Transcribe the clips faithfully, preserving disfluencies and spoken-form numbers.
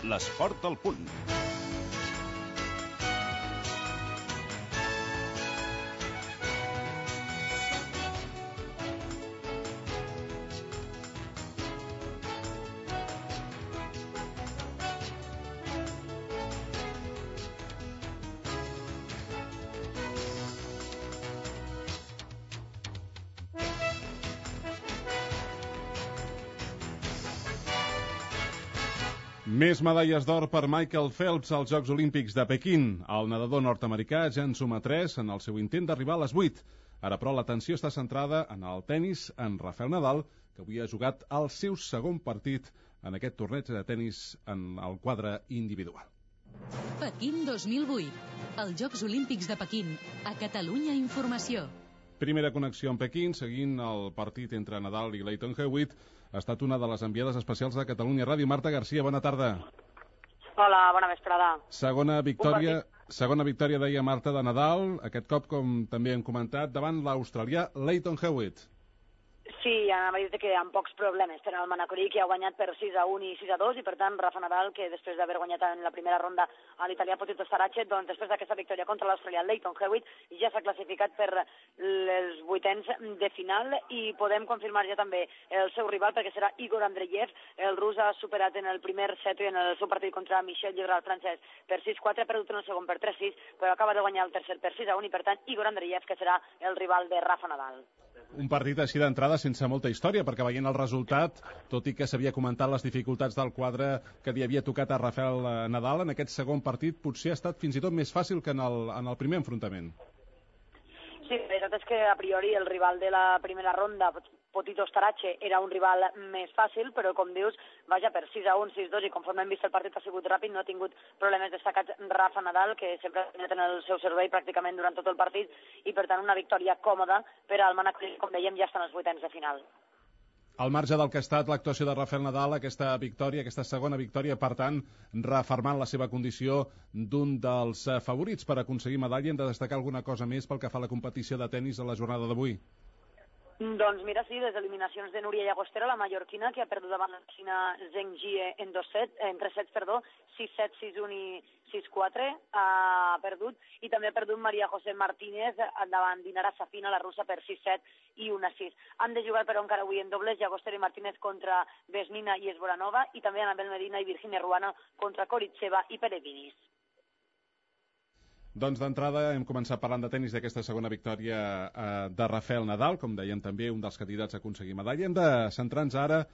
L'esport al punt. Més medalles d'or per Michael Phelps als Jocs Olímpics de Pequín. El nedador nord-americà ja en suma tres en el seu intent d'arribar a les vuit. Ara, però, l'atenció està centrada en el tennis en Rafael Nadal, que avui ha jugat el seu segon partit en aquest torneig de tennis en el quadre individual. Pequín dos mil vuit. Els Jocs Olímpics de Pequín. A Catalunya Informació. Primera connexió amb Pequín, seguint el partit entre Nadal i Lleyton Hewitt. Ha estat una de les enviades especials de Catalunya Ràdio. Marta Garcia, bona tarda. Hola, bona vesprada. Segona victòria, segona victòria, deia Marta, de Nadal, aquest cop, com també hem comentat, davant l'australià Lleyton Hewitt. Sí, anava a dir que amb pocs problemes per al manacorí, que ha guanyat per sis a un i sis a dos, i per tant Rafa Nadal, que després d'haver guanyat en la primera ronda a l'italià Potito Starace, doncs després d'aquesta victòria contra l'australià Lleyton Hewitt ja s'ha classificat per els vuitens de final, i podem confirmar ja també el seu rival, perquè serà Igor Andreyev. El rus ha superat en el primer set i en el seu partit contra Michel Llebral, francès, per sis quatre, ha perdut en el segon per tres sis, però acaba de guanyar el tercer per sis a un, i per tant Igor Andreyev, que serà el rival de Rafa Nadal. Un partit així d'entrada sense molta història, perquè veient el resultat, tot i que s'havia comentat les dificultats del quadre que li havia tocat a Rafael Nadal, en aquest segon partit potser ha estat fins i tot més fàcil que en el, en el primer enfrontament. Sí, la veritat és que a priori el rival de la primera ronda, Potito Starace, era un rival més fàcil, però com dius, vaja, per sis a un, sis a dos, i conforme hem vist el partit ha sigut ràpid, no ha tingut problemes destacats Rafa Nadal, que sempre ha tingut en el seu servei pràcticament durant tot el partit, i per tant una victòria còmoda per al manacorí, com dèiem, ja estan els vuitens de final. Al marge del que ha estat l'actuació de Rafael Nadal, aquesta victòria, aquesta segona victòria, per tant, reafirmant la seva condició d'un dels favorits per aconseguir medalla, hem de destacar alguna cosa més pel que fa a la competició de tennis a la jornada d'avui? Doncs mira, sí, les eliminacions de Núria Llagostera, la mallorquina, que ha perdut davant la xina Zheng Jie en, dos set, en tres sets, perdó, sis set, sis un i sis quatre, ha perdut, i també ha perdut Maria José Martínez davant Dinara Safina, la russa, per sis set i un a sis. Han de jugar, però, encara avui en dobles, Llagostera i Martínez contra Vesnina i Esboranova, i també Anabel Medina i Virginia Ruano contra Koritseva i Perevinis. Doncs d'entrada hem començat parlant de tennis, d'aquesta segona victòria eh, de Rafael Nadal, com dèiem també un dels candidats a aconseguir medalla. Hem de centrar-nos ara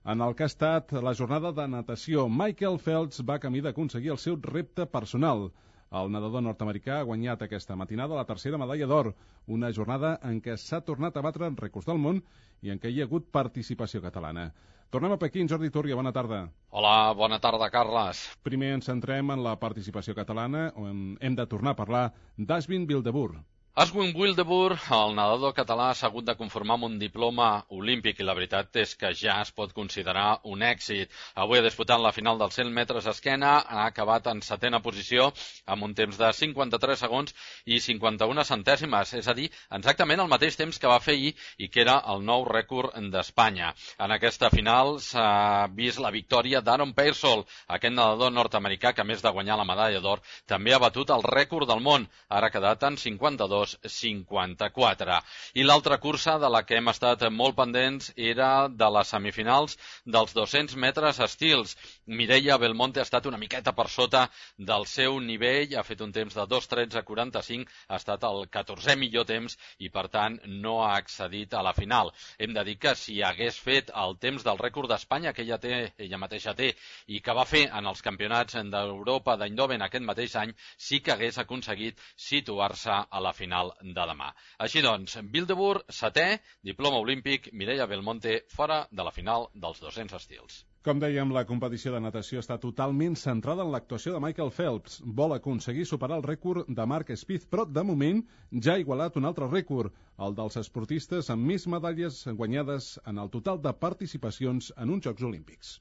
en el que ha estat la jornada de natació. Michael Phelps va camí d'aconseguir el seu repte personal. El nedador nord-americà ha guanyat aquesta matinada la tercera medalla d'or, una jornada en què s'ha tornat a batre en rècords del món i en què hi ha hagut participació catalana. Tornem a Pequín. Jordi Túria, bona tarda. Hola, bona tarda, Carles. Primer ens centrem en la participació catalana, on hem de tornar a parlar d'Ashwin Wildeboer. Ashwin Wildeboer, el nedador català, s'ha hagut de conformar amb un diploma olímpic, i la veritat és que ja es pot considerar un èxit. Avui ha disputat la final dels cent metres esquena, ha acabat en setena posició amb un temps de cinquanta-tres segons i cinquanta-una centèsimes, és a dir, exactament el mateix temps que va fer ahir i que era el nou rècord d'Espanya. En aquesta final s'ha vist la victòria d'Aaron Peirsol, aquest nedador nord-americà que, a més de guanyar la medalla d'or, també ha batut el rècord del món, ara ha quedat en cinquanta-dos cinquanta-quatre. I l'altra cursa de la que hem estat molt pendents era de les semifinals dels dos-cents metres estils. Mireia Belmonte ha estat una miqueta per sota del seu nivell, ha fet un temps de dos tretze quaranta-cinc, ha estat el catorzè millor temps i per tant no ha accedit a la final. Hem de dir que si hagués fet el temps del rècord d'Espanya que ella té, ella mateixa té, i que va fer en els campionats d'Europa d'Eindhoven aquest mateix any, sí que hagués aconseguit situar-se a la final de demà. Així doncs, Wildeboer, setè, diploma olímpic, Mireia Belmonte fora de la final dels dos-cents estils. Com dèiem, la competició de natació està totalment centrada en l'actuació de Michael Phelps. Vol aconseguir superar el rècord de Mark Spieth, però de moment ja ha igualat un altre rècord, el dels esportistes amb més medalles guanyades en el total de participacions en uns Jocs Olímpics.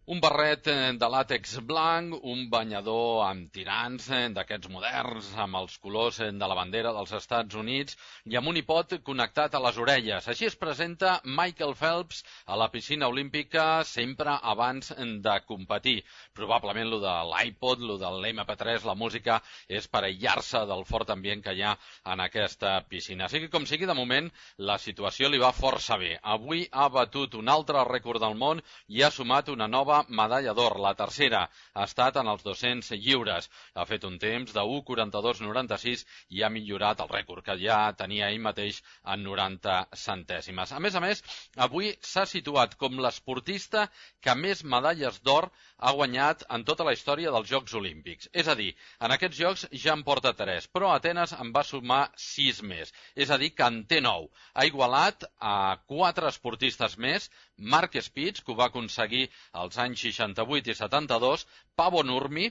Un barret de làtex blanc, un banyador amb tirants d'aquests moderns, amb els colors de la bandera dels Estats Units i amb un iPod connectat a les orelles. Així es presenta Michael Phelps a la piscina olímpica sempre abans de competir. Probablement lo de l'iPod, lo de l'M P tres, la música, és per aïllar-se del fort ambient que hi ha en aquesta piscina. Sigui com sigui, de moment, la situació li va força bé. Avui ha batut un altre rècord del món i ha sumat una nova medalla d'or. La tercera ha estat en els dos-cents lliures. Ha fet un temps de u quaranta-dos noranta-sis i ha millorat el rècord que ja tenia ell mateix en noranta centèsimes. A més a més, avui s'ha situat com l'esportista que més medalles d'or ha guanyat en tota la història dels Jocs Olímpics. És a dir, en aquests Jocs ja en porta tres, però a Atenes en va sumar sis més. És a dir, que en té nou. Ha igualat a quatre esportistes més, Mark Spitz, que ho va aconseguir als anys seixanta-vuit i setanta-dos, Paavo Nurmi,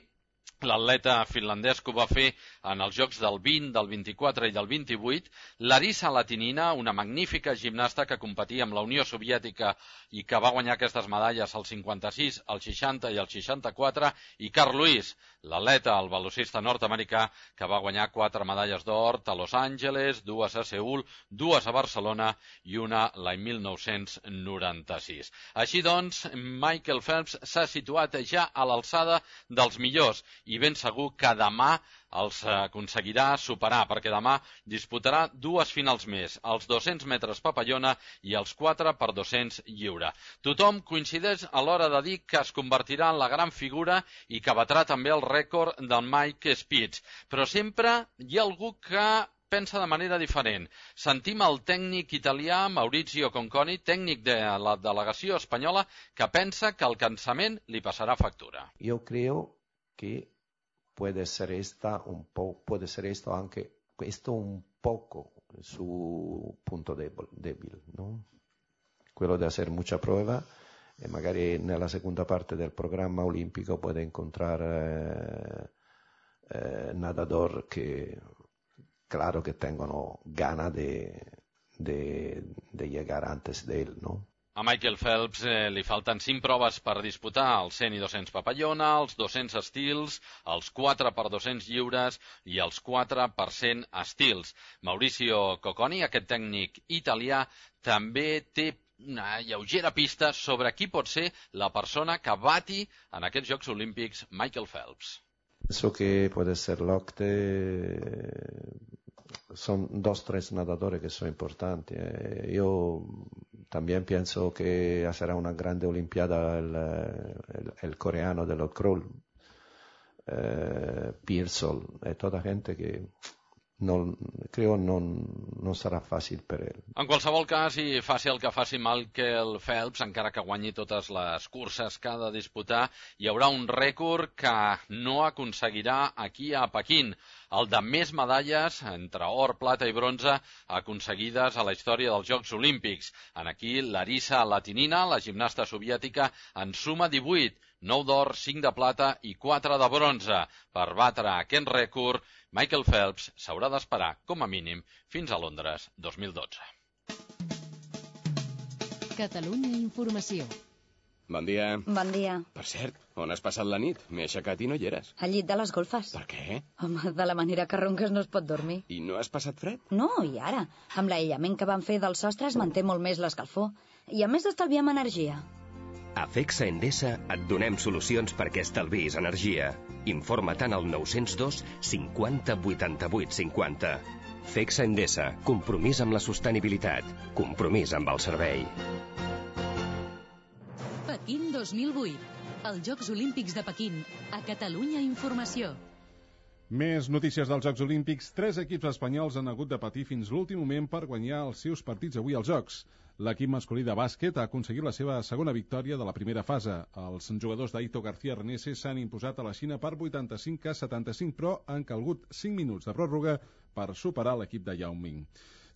l'atleta finlandès que ho va fer en els Jocs del vint, del vint-i-quatre i del vint-i-vuit, Larisa Latinina, una magnífica gimnasta que competia amb la Unió Soviètica i que va guanyar aquestes medalles al cinquanta-sis, al seixanta i al seixanta-quatre, i Carl Lewis, l'atleta, el velocista nord-americà, que va guanyar quatre medalles d'or a Los Angeles, dues a Seül, dues a Barcelona i una l'any mil nou-cents noranta-sis. Així doncs, Michael Phelps s'ha situat ja a l'alçada dels millors i ben segur que demà els aconseguirà superar, perquè demà disputarà dues finals més, els dos-cents metres papallona i els quatre per dos-cents lliure. Tothom coincideix a l'hora de dir que es convertirà en la gran figura i que batrà també el rècord del Mike Spitz, però sempre hi ha algú que pensa de manera diferent. Sentim el tècnic italià Maurizio Conconi, tècnic de la delegació espanyola, que pensa que el cansament li passarà factura. Jo creo que puede ser esta un po', puede ser esto anche questo un poco su punto débil, débil, ¿no? Quello de hacer mucha prueba e magari nella seconda parte del programma olimpico puede encontrar eh, eh, nadador que claro que tengono gana de, de, de llegar antes de él, ¿no? A Michael Phelps eh, li falten cinc proves per disputar, els cent i dos-cents papallona, els dos-cents estils, els quatre per dos-cents lliures i els quatre per cent estils. Mauricio Cocconi, aquest tècnic italià, també té una lleugera pista sobre qui pot ser la persona que bati en aquests Jocs Olímpics Michael Phelps. Penso que puede ser Locte. Son dos, tres nadadores que son importantes. Eh, yo también pienso que será una grande olimpiada el, el, el coreano del crawl, eh, Pearsall, e toda gente que no, creo no, no serà fàcil per ell. En qualsevol cas, i faci el que faci Michael Phelps, encara que guanyi totes les curses que ha de disputar, hi haurà un rècord que no aconseguirà aquí a Pequín, el de més medalles, entre or, plata i bronze, aconseguides a la història dels Jocs Olímpics. En aquí, Larisa Latinina, la gimnasta soviètica, en suma divuit, nou d'or, cinc de plata i quatre de bronze. Per batre aquest rècord, Michael Phelps s'haurà d'esperar, com a mínim, fins a Londres dos mil dotze. Catalunya Informació. Bon dia. Bon dia. Per cert, on has passat la nit? M'he aixecat i no hi eres. Al llit de les golfes. Per què? Home, de la manera que ronques no es pot dormir. I no has passat fred? No, i ara? Amb l'aïllament que van fer del sostre es manté molt més l'escalfor. I a més estalviem energia. A Fexa Endesa et donem solucions perquè estalvis energia. Informa't al nou zero dos cinquanta vuitanta-vuit cinquanta. Fexa Endesa, compromís amb la sostenibilitat, compromís amb el servei. Pequín dos mil vuit. Els Jocs Olímpics de Pequín. A Catalunya Informació. Més notícies dels Jocs Olímpics. Tres equips espanyols han hagut de patir fins l'últim moment per guanyar els seus partits avui als Jocs. L'equip masculí de bàsquet ha aconseguit la seva segona victòria de la primera fase. Els jugadors d'Aito García Renese s'han imposat a la Xina per vuitanta-cinc a setanta-cinc, però han calgut cinc minuts de pròrroga per superar l'equip de Yao Ming.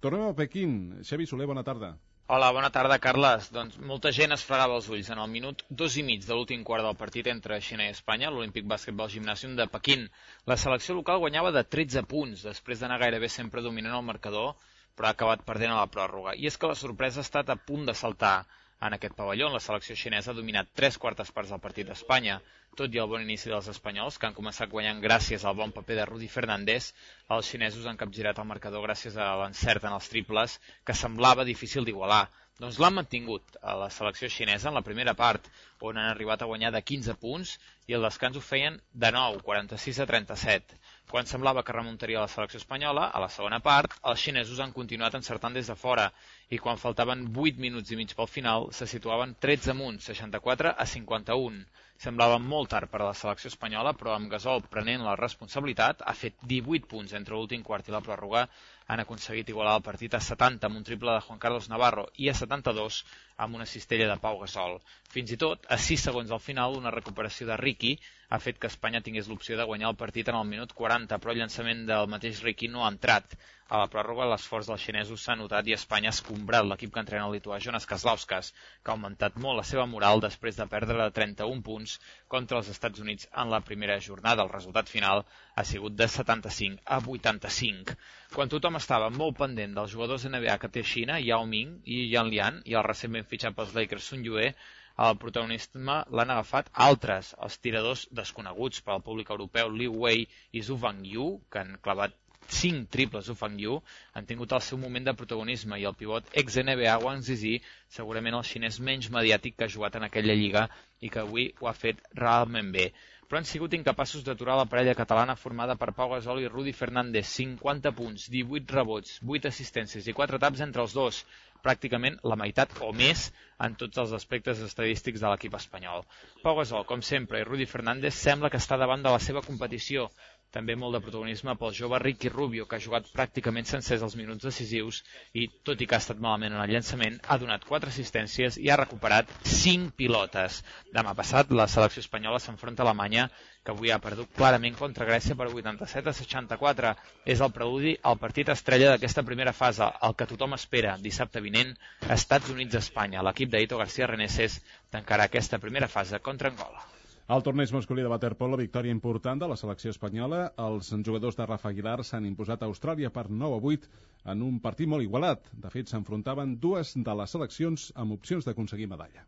Tornem a Pequín. Xavi Soler, bona tarda. Hola, bona tarda, Carles. Doncs molta gent es fregava els ulls en el minut dos i mig de l'últim quart del partit entre Xina i Espanya, l'Olímpic Bàsquetbol Gimnàsium de Pequín. La selecció local guanyava de tretze punts, després d'anar gairebé sempre dominant el marcador, però ha acabat perdent a la pròrroga. I és que la sorpresa ha estat a punt de saltar en aquest pavelló. La selecció xinesa ha dominat tres quartes parts del partit d'Espanya. Tot i el bon inici dels espanyols, que han començat guanyant gràcies al bon paper de Rudy Fernández, els xinesos han capgirat el marcador gràcies a l'encert en els triples, que semblava difícil d'igualar. Doncs l'han mantingut a la selecció xinesa en la primera part, on han arribat a guanyar de quinze punts, i el descans ho feien de nou, quaranta-sis a trenta-set. Quan semblava que remuntaria la selecció espanyola, a la segona part, els xinesos han continuat encertant des de fora, i quan faltaven vuit minuts i mig pel final, se situaven tretze amunt, seixanta-quatre a cinquanta-un. Semblava molt tard per a la selecció espanyola, però amb Gasol prenent la responsabilitat, ha fet divuit punts entre l'últim quart i la pròrroga, han aconseguit igualar el partit a setanta amb un triple de Juan Carlos Navarro i a setanta-dos amb una cistella de Pau Gasol. Fins i tot, a sis segons al final, una recuperació de Ricky ha fet que Espanya tingués l'opció de guanyar el partit en el minut quaranta, però el llançament del mateix Ricky no ha entrat. A la pròrroga, l'esforç dels xinesos s'ha notat i Espanya ha escombrat l'equip que entrena el lituà Jonas Kazlauskas, que ha augmentat molt la seva moral després de perdre de trenta-un punts contra els Estats Units en la primera jornada. El resultat final ha sigut de setanta-cinc a vuitanta-cinc. Quan tothom estava molt pendent dels jugadors N B A que té Xina, Yao Ming i Yan Lian, i el recentment fitxat pels Lakers Sun Yue, el protagonisme l'han agafat altres, els tiradors desconeguts per al públic europeu Liu Wei i Zhu Fangyu, que han clavat cinc triples Zhu Fangyu, han tingut el seu moment de protagonisme, i el pivot ex-N B A Wang Zizi, segurament el xinès menys mediàtic que ha jugat en aquella lliga i que avui ho ha fet realment bé. Però han sigut incapaços d'aturar la parella catalana formada per Pau Gasol i Rudy Fernández, cinquanta punts, divuit rebots, vuit assistències i quatre taps entre els dos, pràcticament la meitat o més en tots els aspectes estadístics de l'equip espanyol. Pau Gasol, com sempre, i Rudy Fernández sembla que està davant de la seva competició. També molt de protagonisme pel jove Ricky Rubio, que ha jugat pràcticament sencers els minuts decisius i, tot i que ha estat malament en el llançament, ha donat quatre assistències i ha recuperat cinc pilotes. Demà passat, la selecció espanyola s'enfronta a Alemanya, que avui ha perdut clarament contra Grècia per vuitanta-set a seixanta-quatre. És el preludi al partit estrella d'aquesta primera fase, el que tothom espera dissabte vinent, Estats Units-Espanya. L'equip d'Aito García Reneses tancarà aquesta primera fase contra Angola. Al torneig masculí de waterpolo, victòria important de la selecció espanyola. Els jugadors de Rafa Aguilar s'han imposat a Austràlia per nou a vuit en un partit molt igualat. De fet, s'enfrontaven dues de les seleccions amb opcions d'aconseguir medalla.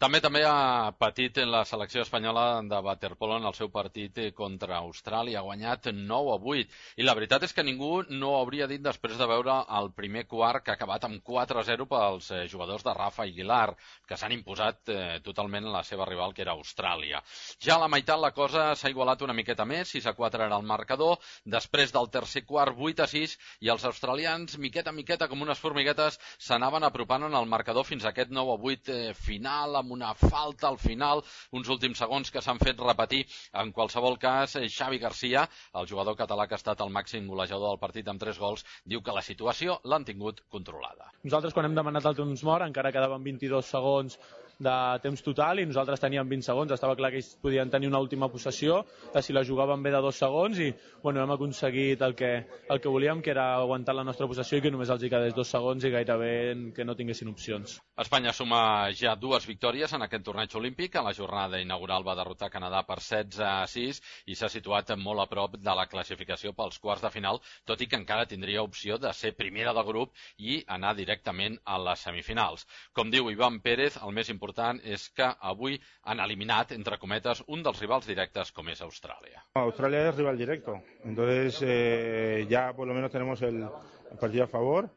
També també ha patit la selecció espanyola de waterpolo en el seu partit contra Austràlia. Ha guanyat nou a vuit. I la veritat és que ningú no hauria dit després de veure el primer quart, que ha acabat amb quatre a zero pels jugadors de Rafa Aguilar, que s'han imposat eh, totalment a la seva rival, que era Austràlia. Ja a la meitat la cosa s'ha igualat una miqueta més, sis a quatre era el marcador. Després del tercer quart, vuit a sis, i els australians, miqueta a miqueta, com unes formiguetes, s'anaven apropant en el marcador fins a aquest nou a vuit eh, final, amb una falta al final, uns últims segons que s'han fet repetir. En qualsevol cas, Xavi Garcia, el jugador català que ha estat el màxim golejador del partit amb tres gols, diu que la situació l'han tingut controlada. Nosaltres, quan hem demanat el temps mort, encara quedaven vint-i-dos segons de temps total i nosaltres teníem vint segons. Estava clar que ells podien tenir una última possessió, de si la jugaven bé de dos segons, i bueno, hem aconseguit el que, el que volíem, que era aguantar la nostra possessió i que només els hi quedés dos segons i gairebé que no tinguessin opcions. Espanya suma ja dues victòries en aquest torneig olímpic. A la jornada inaugural va derrotar Canadà per setze a sis i s'ha situat molt a prop de la classificació pels quarts de final, tot i que encara tindria opció de ser primera del grup i anar directament a les semifinals. Com diu Ivan Pérez, el més important és que avui han eliminat, entre cometes, un dels rivals directes com és Australia. Australia es rival directo, entonces eh, ya por lo menos tenemos el, el partido a favor.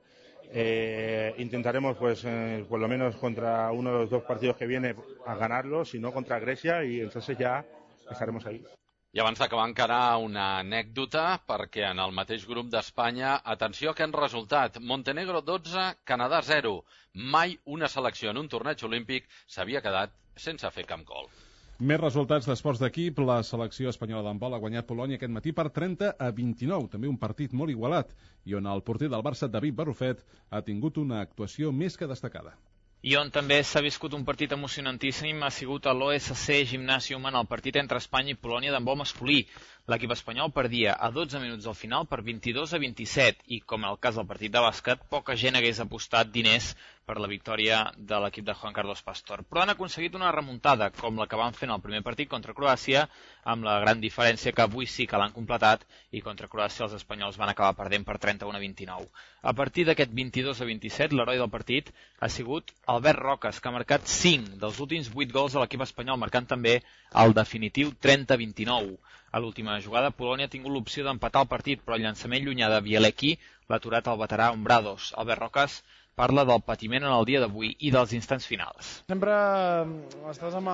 Eh, intentaremos pues eh, por lo menos contra uno de los dos partidos que viene a ganarlo, si no contra Grecia, y entonces ya estaremos ahí. I abans d'acabar encara una anècdota, perquè en el mateix grup d'Espanya, atenció a aquest resultat, Montenegro dotze, Canadà zero. Mai una selecció en un torneig olímpic s'havia quedat sense fer cap gol. Més resultats d'esports d'equip. La selecció espanyola d'handbol ha guanyat Polònia aquest matí per trenta a vint-i-nou. També un partit molt igualat, i on el porter del Barça, David Barrufet, ha tingut una actuació més que destacada. I on també s'ha viscut un partit emocionantíssim ha sigut a l'O S C Gimnàsium en el partit entre Espanya i Polònia d'handbol masculí. L'equip espanyol perdia a dotze minuts al final per vint-i-dos a vint-i-set i, com en el cas del partit de bàsquet, poca gent hagués apostat diners per la victòria de l'equip de Juan Carlos Pastor. Però han aconseguit una remuntada, com la que van fer en el primer partit contra Croàcia, amb la gran diferència que avui sí que l'han completat i contra Croàcia els espanyols van acabar perdent per trenta-un a vint-i-nou. A partir d'aquest vint-i-dos a vint-i-set, l'heroi del partit ha sigut Albert Roques, que ha marcat cinc dels últims vuit gols de l'equip espanyol, marcant també el definitiu trenta a vint-i-nou. A l'última jugada, Polònia ha tingut l'opció d'empatar el partit, però el llançament llunyà de Bielecki l'ha aturat el veterà Ombrados. Albert Roques parla del patiment en el dia d'avui i dels instants finals. Sempre estàs amb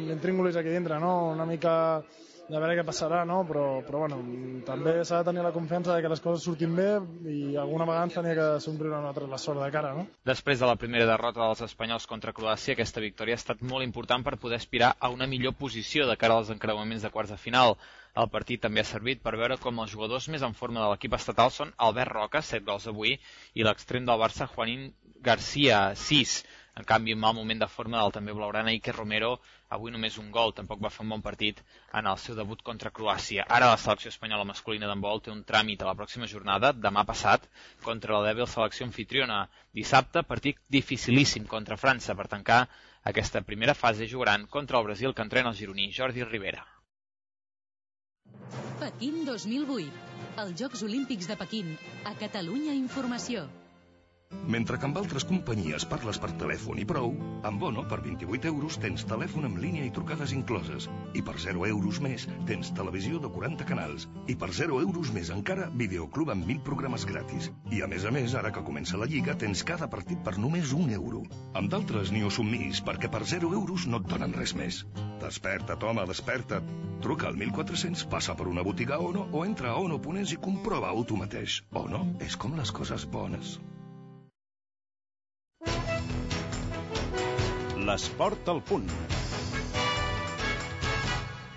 l'intríngulis aquí dintre, no? Una mica de veure què passarà, no? Però, però bueno, també s'ha de tenir la confiança de que les coses surtin bé i alguna vegada ens tenia que somriure a nosaltres la sort de cara, no? Després de la primera derrota dels espanyols contra Croàcia, aquesta victòria ha estat molt important per poder aspirar a una millor posició de cara als encreuaments de quarts de final. El partit també ha servit per veure com els jugadors més en forma de l'equip estatal són Albert Roca, set gols avui, i l'extrem del Barça, Juanín García, sis. En canvi, en mal moment de forma del també blaugrana Iker Romero, avui només un gol, tampoc va fer un bon partit en el seu debut contra Croàcia. Ara la selecció espanyola masculina d'handbol té un tràmit a la pròxima jornada, demà passat, contra la dèbil selecció anfitriona. Dissabte, partit dificilíssim contra França. Per tancar aquesta primera fase jugaran contra el Brasil, que entrena el gironí Jordi Rivera. Pequín dos mil vuit. Els Jocs Olímpics de Pequín. A Catalunya Informació. Mentre que amb altres companyies parles per telèfon i prou, amb Bono, per vint-i-vuit euros, tens telèfon en línia i trucades incloses. I per zero euros més, tens televisió de quaranta canals. I per zero euros més encara, videoclub amb mil programes gratis. I a més a més, ara que comença la Lliga, tens cada partit per només un euro. Amb d'altres ni ho somnis, perquè per zero euros no et donen res més. Desperta't, home, desperta't. Truca al mil quatre-cents, passa per una botiga Ono o entra a ono punt es i comprova-ho tu mateix. Ono és com les coses bones. L'esport al punt.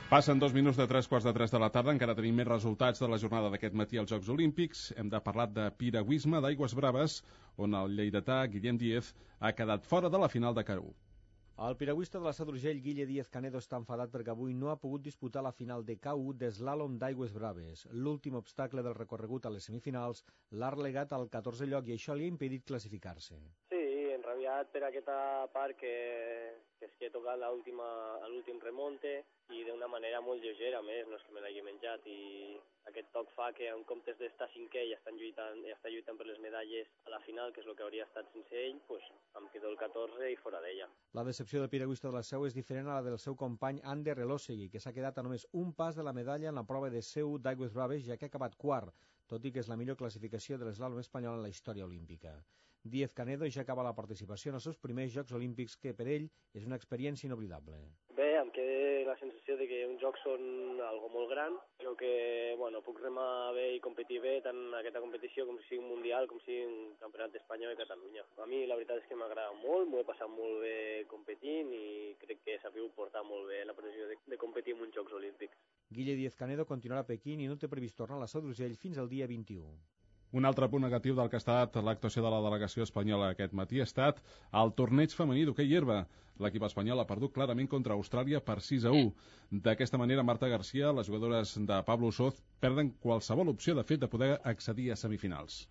Passen dos minuts de tres quarts de tres de la tarda, encara tenim més resultats de la jornada d'aquest matí als Jocs Olímpics. Hem de parlar de piragüisme d'aigües braves, on el lleidatà Guillem Díez ha quedat fora de la final de K u. El piragüista de la Seu d'Urgell, Guille Díez Canedo, està enfadat perquè avui no ha pogut disputar la final de K u d'eslàlom d'aigües braves. L'últim obstacle del recorregut a les semifinals l'ha relegat al catorzè lloc i això li ha impedit classificar-se. Sí, enrabiat per aquesta part que, que és que he tocat l'últim remonte i d'una manera molt lleugera, més, no és que me l'hagi menjat, i aquest toc fa que en comptes d'estar cinquè i estar lluitant, i estar lluitant per les medalles a la final, que és el que hauria estat sense ell, pues, em quedo el catorzè i fora d'ella. La decepció del piragüista de la Seu és diferent a la del seu company Ander Elosegui, que s'ha quedat a només un pas de la medalla en la prova de Seu d'aigües braves, ja que ha acabat quart, tot i que és la millor classificació de l'eslàlom espanyol en la història olímpica. Díez Canedo ja acaba la participació en els seus primers Jocs Olímpics, que per ell és una experiència inoblidable. Bé, em queda la sensació de que uns jocs són algo molt gran, però que bueno, puc remar bé i competir bé tant en aquesta competició com si sigui un mundial, com si sigui un campionat d'Espanya o de Catalunya. A mi la veritat és que m'agrada molt, m'ho he passat molt bé competint i crec que he sabut portar molt bé la pressió de, de competir en uns Jocs Olímpics. Guille Díez Canedo continuarà a Pequín i no té previst tornar a la Seu d'Urgell fins al dia vint-i-u. Un altre punt negatiu del que ha estat l'actuació de la delegació espanyola aquest matí ha estat el torneig femení d'hoquei herba. L'equip espanyol ha perdut clarament contra Austràlia per sis a u. D'aquesta manera, Marta García, les jugadores de Pablo Soz, perden qualsevol opció de fet de poder accedir a semifinals.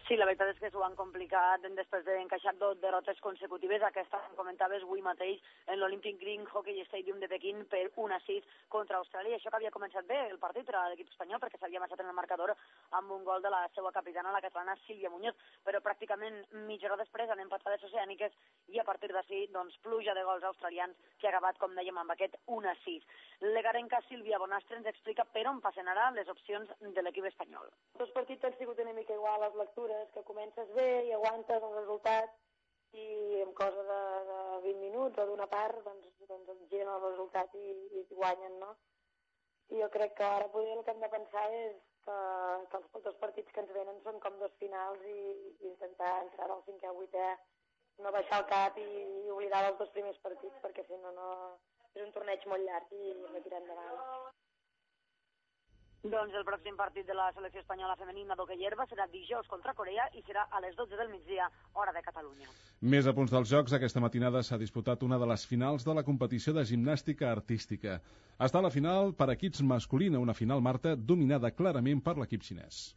Sí, la veritat és que s'ho han complicat després d'encaixar dos derrotes consecutives. Aquesta, com comentaves, avui mateix en l'Olympic Green Hockey Stadium de Pequín per un a sis contra Austràlia. Això que havia començat bé el partit per a l'equip espanyol perquè s'havia marxat en el marcador amb un gol de la seva capitana, la catalana Sílvia Muñoz, però pràcticament mitja hora després han empatat les oceàniques i a partir d'ací, doncs, pluja de gols australians que ha acabat, com dèiem, amb aquest un a sis. L'egarenca Sílvia Bonastre ens explica per on passen ara les opcions de l'equip espanyol. Els partits han sigut una mica igual a les lectures, que comences bé i aguantes el resultat i en cosa de, de vint minuts o d'una part doncs, doncs et giren el resultat i, i guanyen, no? I jo crec que ara potser el que hem de pensar és que, que els, els partits que ens venen són com dos finals i, i intentar entrar al cinquè o vuitè, no baixar el cap i, i oblidar els dos primers partits, perquè si no, no és un torneig molt llarg i no tirar endavant. Doncs el pròxim partit de la selecció espanyola femenina d'hoquei herba serà dijous contra Corea i serà a les dotze del migdia, hora de Catalunya. Més a punts dels Jocs, aquesta matinada s'ha disputat una de les finals de la competició de gimnàstica artística. Està a la final per equips masculina, una final, Marta, dominada clarament per l'equip xinès.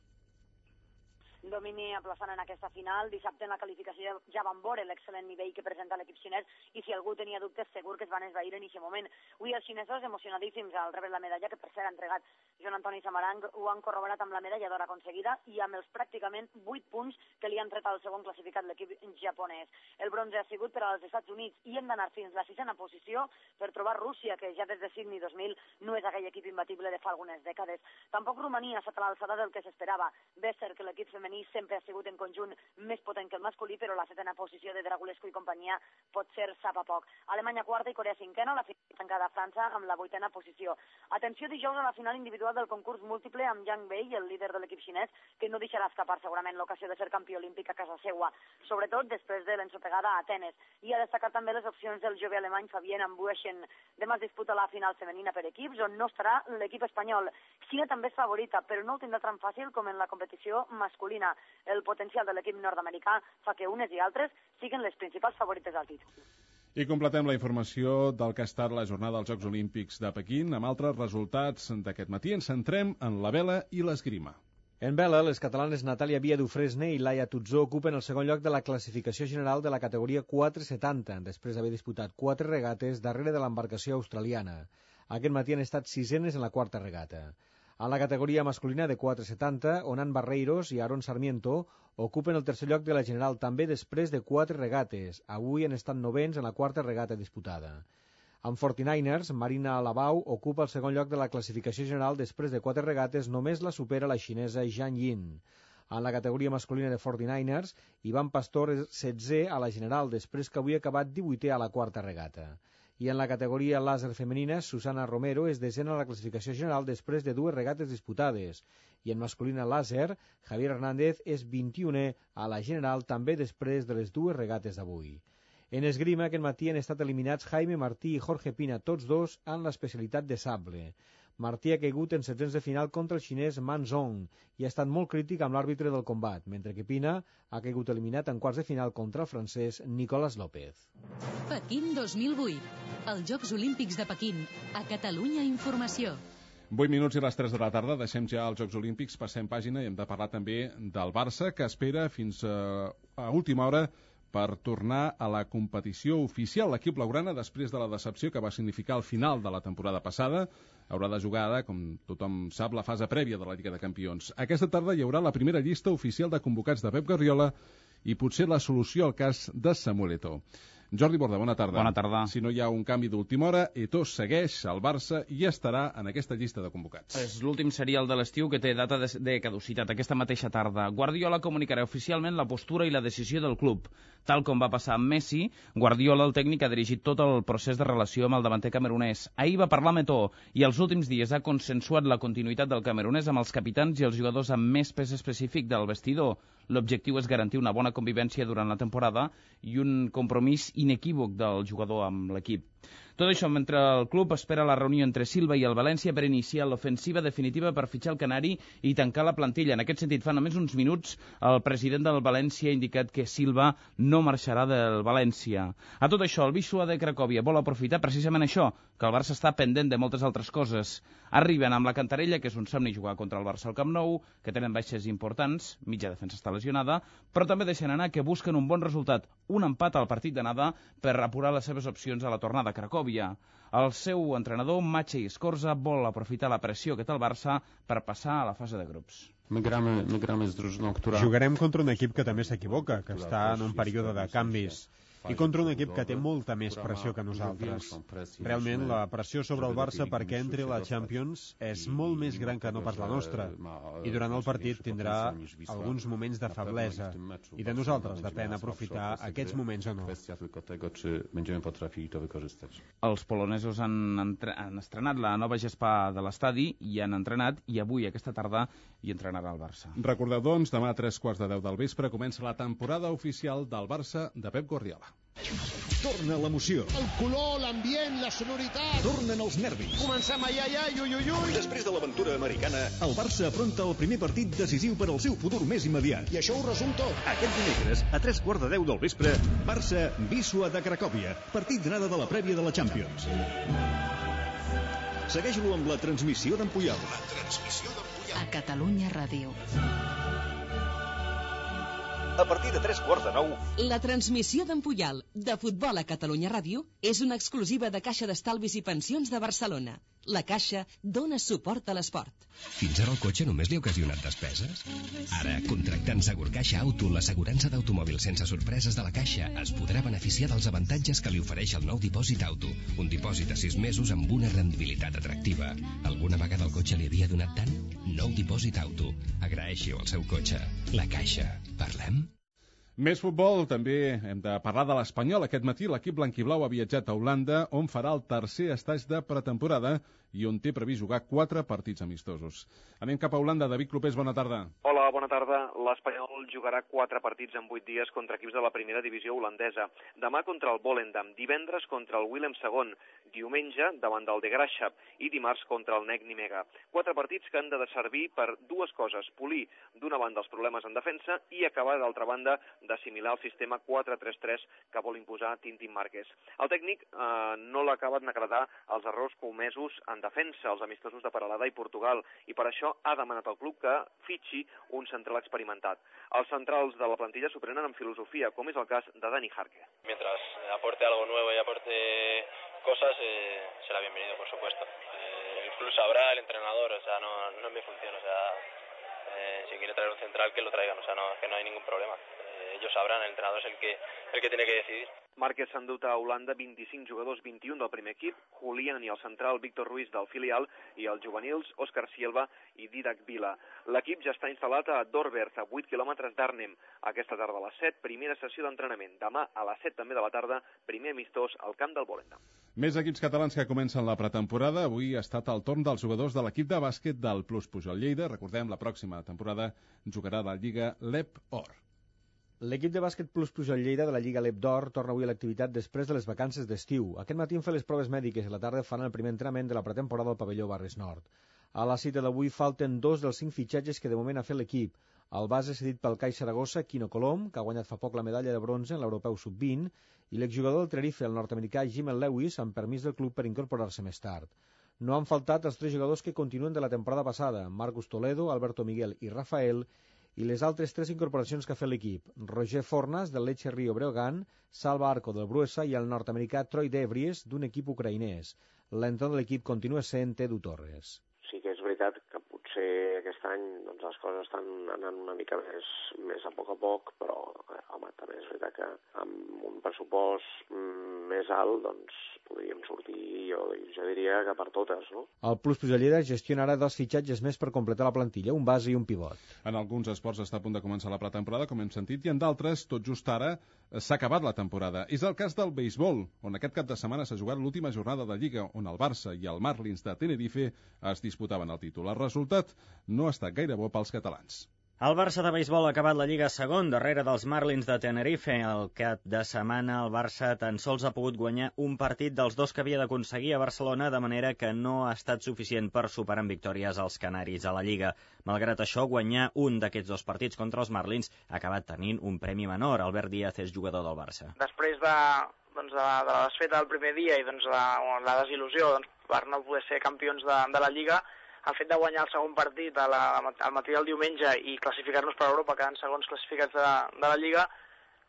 Domini aplaçant en aquesta final. Dissabte en la qualificació ja van veure l'excel·lent nivell que presenta l'equip xinès i si algú tenia dubtes segur que es van esvair en aquest moment. Avui els xinesos emocionadíssims al rebre la medalla que per cert ha entregat Joan Antoni Samarang ho han corroborat amb la medalla d'or aconseguida i amb els pràcticament vuit punts que li han tret al segon classificat l'equip japonès. El bronze ha sigut per als Estats Units i hem d'anar fins a la sisena posició per trobar Rússia, que ja des de Sydney dos mil no és aquell equip imbatible de fa algunes dècades. Tampoc Romania ha estat a l'alçada del que s'esperava. Bé és cert que l'equip femení sempre ha sigut en conjunt més potent que el masculí, però la setena posició de Dragulescu i companyia pot ser sap a poc. Alemanya quarta i Corea cinquena, la final tancada a França amb la vuitena posició. Atenció dijous a la final individual del concurs múltiple amb Yang Bei, el líder de l'equip xinès, que no deixarà escapar segurament l'ocasió de ser campió olímpic a casa seua, sobretot després de l'ensopegada a Atenes. I ha destacat també les opcions del jove alemany Fabien Ambuechen. Demà es disputa la final femenina per equips, on no estarà l'equip espanyol. Xina també és favorita, però no ho tindrà tan fàcil com en la competició masculina. El potencial de l'equip nord-americà fa que unes i altres siguin les principals favorites al títol. I completem la informació del que ha estat la jornada dels Jocs Olímpics de Pequín amb altres resultats d'aquest matí. Ens centrem en la vela i l'esgrima. En vela, les catalanes Natàlia Via Dufresne i Laia Tutzó ocupen el segon lloc de la classificació general de la categoria quatre setanta, després d'haver disputat quatre regates darrere de l'embarcació australiana. Aquest matí han estat sisenes en la quarta regata. En la categoria masculina de quatre setanta, Onan Barreiros i Aaron Sarmiento ocupen el tercer lloc de la general també després de quatre regates. Avui han estat novens en la quarta regata disputada. En forty-niners, Marina Alabau ocupa el segon lloc de la classificació general després de quatre regates, només la supera la xinesa Zhang Yin. En la categoria masculina de forty-niners, Ivan Pastor és setzè a la general després que avui ha acabat divuitè a la quarta regata. I en la categoria làser femenina, Susana Romero és desena a la classificació general després de dues regates disputades. I en masculina làser, Javier Hernández és vint-i-unè a la general també després de les dues regates d'avui. En esgrima, aquest matí han estat eliminats Jaime Martí i Jorge Pina, tots dos en l'especialitat de sable. Martí ha caigut en setzents de final contra el xinès Man Zhong i ha estat molt crític amb l'àrbitre del combat, mentre que Pina ha caigut eliminat en quarts de final contra el francès Nicolás López. Pequín dos mil vuit. Els Jocs Olímpics de Pequín. A Catalunya Informació. vuit minuts i les tres de la tarda. Deixem ja els Jocs Olímpics, passem pàgina i hem de parlar també del Barça, que espera fins a, a última hora per tornar a la competició oficial. L'equip blaugrana, després de la decepció que va significar el final de la temporada passada, haurà de jugar ara, com tothom sap, la fase prèvia de la Lliga de Campions. Aquesta tarda hi haurà la primera llista oficial de convocats de Pep Guardiola i potser la solució al cas de Samuel Eto'o. Jordi Borda, bona tarda. Bona tarda. Si no hi ha un canvi d'última hora, Eto'o segueix al Barça i estarà en aquesta llista de convocats. És l'últim serial de l'estiu que té data de, de caducitat aquesta mateixa tarda. Guardiola comunicarà oficialment la postura i la decisió del club. Tal com va passar amb Messi, Guardiola, el tècnic, ha dirigit tot el procés de relació amb el davanter camerunès. Ahir va parlar amb Eto'o i els últims dies ha consensuat la continuïtat del camerunès amb els capitans i els jugadors amb més pes específic del vestidor. L'objectiu és garantir una bona convivència durant la temporada i un compromís inequívoc del jugador amb l'equip. Tot això mentre el club espera la reunió entre Silva i el València per iniciar l'ofensiva definitiva per fitxar el canari i tancar la plantilla. En aquest sentit, fa només uns minuts, el president del València ha indicat que Silva no marxarà del València. A tot això, el Wisła de Cracòvia vol aprofitar precisament això, que el Barça està pendent de moltes altres coses. Arriben amb la cantarella, que és un somni jugar contra el Barça al Camp Nou, que tenen baixes importants, mitja defensa està lesionada, però també deixen anar que busquen un bon resultat, un empat al partit d'anada per apurar les seves opcions a la tornada a Cracòvia. El seu entrenador, Maciej Skorza, vol aprofitar la pressió que té el Barça per passar a la fase de grups. Jugarem contra un equip que també s'equivoca, que està en un període de canvis, i contra un equip que té molta més pressió que nosaltres. Realment, la pressió sobre el Barça perquè entri a la Champions és molt més gran que no pas la nostra, i durant el partit tindrà alguns moments de feblesa, i de nosaltres depèn aprofitar aquests moments o no. Els polonesos han, entre... han estrenat la nova gespa de l'estadi i han entrenat, i avui, aquesta tarda, hi entrenarà el Barça. Recordeu, doncs, demà a tres quarts de deu del vespre comença la temporada oficial del Barça de Pep Guardiola. Torna l'emoció. El color, l'ambient, la sonoritat. Tornen els nervis. Comencem ai, ai, ai, ui, ui, ui. Després de l'aventura americana, el Barça afronta el primer partit decisiu per al seu futur més immediat. I això ho resum tot. Aquest dimecres, a tres quarts de deu del vespre, Barça Wisła de Cracòvia, partit d'anada de la prèvia de la Champions. Segueix-lo amb la transmissió d'en Puyol. La transmissió d'en Puyol. A Catalunya Ràdio. A partir de tres quarts de nou... La transmissió d'en Puyol, de futbol a Catalunya Ràdio, és una exclusiva de Caixa d'Estalvis i Pensions de Barcelona. La Caixa dona suport a l'esport. Fins ara el cotxe només li ha ocasionat despeses? Ara, contractant Segurcaixa Auto, l'assegurança d'automòbil sense sorpreses de la Caixa, es podrà beneficiar dels avantatges que li ofereix el nou dipòsit auto. Un dipòsit a sis mesos amb una rendibilitat atractiva. Alguna vegada el cotxe li havia donat tant? Nou dipòsit auto. Agraeixi-ho al seu cotxe. La Caixa. Parlem? Més futbol, també hem de parlar de l'Espanyol. Aquest matí l'equip blanquiblau ha viatjat a Holanda, on farà el tercer estatge de pretemporada i on té previst jugar quatre partits amistosos. Anem cap a Holanda. David Clopés, bona tarda. Hola, bona tarda. L'Espanyol jugarà quatre partits en vuit dies contra equips de la primera divisió holandesa. Demà contra el Volendam, divendres contra el Willem segon, diumenge davant del De Graafschap i dimarts contra el N E C Nimega. Quatre partits que han de servir per dues coses: polir d'una banda els problemes en defensa i acabar d'altra banda d'assimilar el sistema quatre tres tres que vol imposar Tintín Márquez. El tècnic eh, no l'ha acabat d'agradar els errors comesos en defensa, els amistosos de Peralada i Portugal, i per això ha demanat al club que fitxi un central experimentat. Els centrals de la plantilla s'ho prenen amb filosofia, com és el cas de Dani Jarque. Mientras aporte algo nuevo y aporte cosas, eh, será bienvenido, por supuesto. Eh, el club sabrá, el entrenador, o sea, no, no es mi función, o sea, eh, si quiere traer un central, que lo traigan, o sea, no, que no hay ningún problema. Eh, ellos sabrán, el entrenador es el que, el que tiene que decidir. Márquez s'ha endut a Holanda vint-i-cinc jugadors, vint-i-un del primer equip, Julián i el central Víctor Ruiz del filial, i els juvenils Òscar Silva i Didac Vila. L'equip ja està instal·lat a Dorberth, a vuit quilòmetres d'Arnhem. Aquesta tarda a les set, primera sessió d'entrenament. Demà a les set també de la tarda, primer amistós al camp del Volendam. Més equips catalans que comencen la pretemporada. Avui ha estat el torn dels jugadors de l'equip de bàsquet del Plus Pujol Lleida. Recordem, la pròxima temporada jugarà la Lliga Lep Or. L'equip de bàsquet Plus Pujol Lleida de la Lliga Lep d'Or torna avui a l'activitat després de les vacances d'estiu. Aquest matí han fet les proves mèdiques i a la tarda fan el primer entrenament de la pretemporada al pavelló Barris Nord. A la cita d'avui falten dos dels cinc fitxatges que de moment ha fet l'equip. El base cedit pel CAI Saragossa, Quino Colom, que ha guanyat fa poc la medalla de bronze en l'Europeu sub vint, i l'exjugador del Tenerife, el nord-americà Jimel Lewis, amb permís del club per incorporar-se més tard. No han faltat els tres jugadors que continuen de la temporada passada, Marcus Toledo, Alberto Miguel i Rafael, i les altres tres incorporacions que ha fet l'equip: Roger Fornas, del Lecce Rio Breogán, Salva Arco, del Bruesa, i el nord-americà Troy Devries, d'un equip ucraïnès. L'entorn de l'equip continua sent Edu Torres. Sí que és veritat que potser aquest any doncs, les coses estan anant una mica més, més a poc a poc, però eh, home, també és veritat que amb un pressupost mm, més alt doncs, podríem sortir, jo, jo diria que per totes, no? El Plus Pujol Lleida gestiona ara dos fitxatges més per completar la plantilla, un base i un pivot. En alguns esports està a punt de començar la pretemporada, com hem sentit, i en d'altres, tot just ara, s'ha acabat la temporada. És el cas del béisbol, on aquest cap de setmana s'ha jugat l'última jornada de Lliga, on el Barça i el Marlins de Tenerife es disputaven el títol. El resultat no ha estat gaire bo pels catalans. El Barça de béisbol ha acabat la Lliga segon, darrere dels Marlins de Tenerife. El cap de setmana el Barça tan sols ha pogut guanyar un partit dels dos que havia d'aconseguir a Barcelona, de manera que no ha estat suficient per superar en victòries als canaris a la Lliga. Malgrat això, guanyar un d'aquests dos partits contra els Marlins ha acabat tenint un premi menor. Albert Díaz és jugador del Barça. Després de, doncs, de, de la desfeta del primer dia i doncs, la, la desil·lusió doncs, per no poder ser campions de, de la Lliga, el fet de guanyar el segon partit a la, al matí del diumenge i classificar-nos per Europa, quedant segons classificats de, de la Lliga,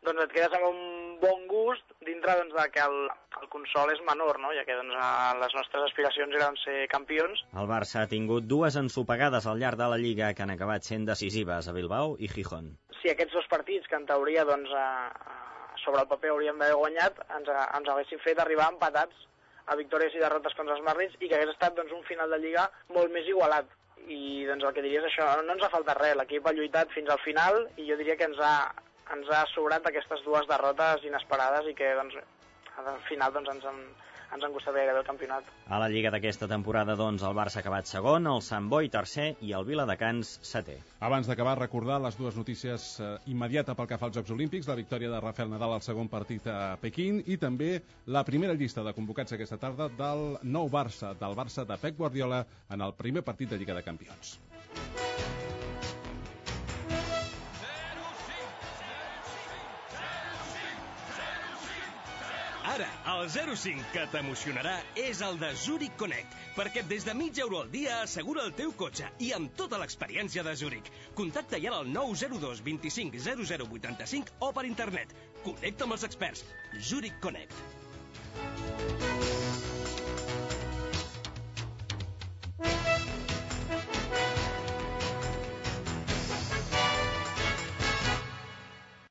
doncs et quedes amb un bon gust dintre doncs, de que el, el consol és menor, no? Ja que doncs, les nostres aspiracions eren ser campions. El Barça ha tingut dues ensopegades al llarg de la Lliga que han acabat sent decisives a Bilbao i Gijón. Si aquests dos partits, que en teoria doncs, a, sobre el paper hauríem d'haver guanyat, ens, ens haguessin fet arribar empatats a victòries i derrotes contra els Marlins i que hagués estat doncs, un final de Lliga molt més igualat. I doncs, el que diria és això, no ens ha faltat res, l'equip ha lluitat fins al final i jo diria que ens ha, ens ha sobrat aquestes dues derrotes inesperades i que doncs, al final doncs, ens, han, ens han costat gairebé el campionat. A la Lliga d'aquesta temporada, doncs, el Barça ha acabat segon, el Sant Boi tercer i el Viladecans setè. Abans d'acabar, recordar les dues notícies eh, immediata pel que fa als Jocs Olímpics, la victòria de Rafael Nadal al segon partit a Pequín i també la primera llista de convocats aquesta tarda del nou Barça, del Barça de Pep Guardiola en el primer partit de Lliga de Campions. Ara, el zero cinc que t'emocionarà és el de Zurich Connect, perquè des de mig euro al dia assegura el teu cotxe i amb tota l'experiència de Zurich. Contacta ja al nou zero dos vint-i-cinc zero zero vuitanta-cinc o per internet. Connecta amb els experts. Zurich Connect.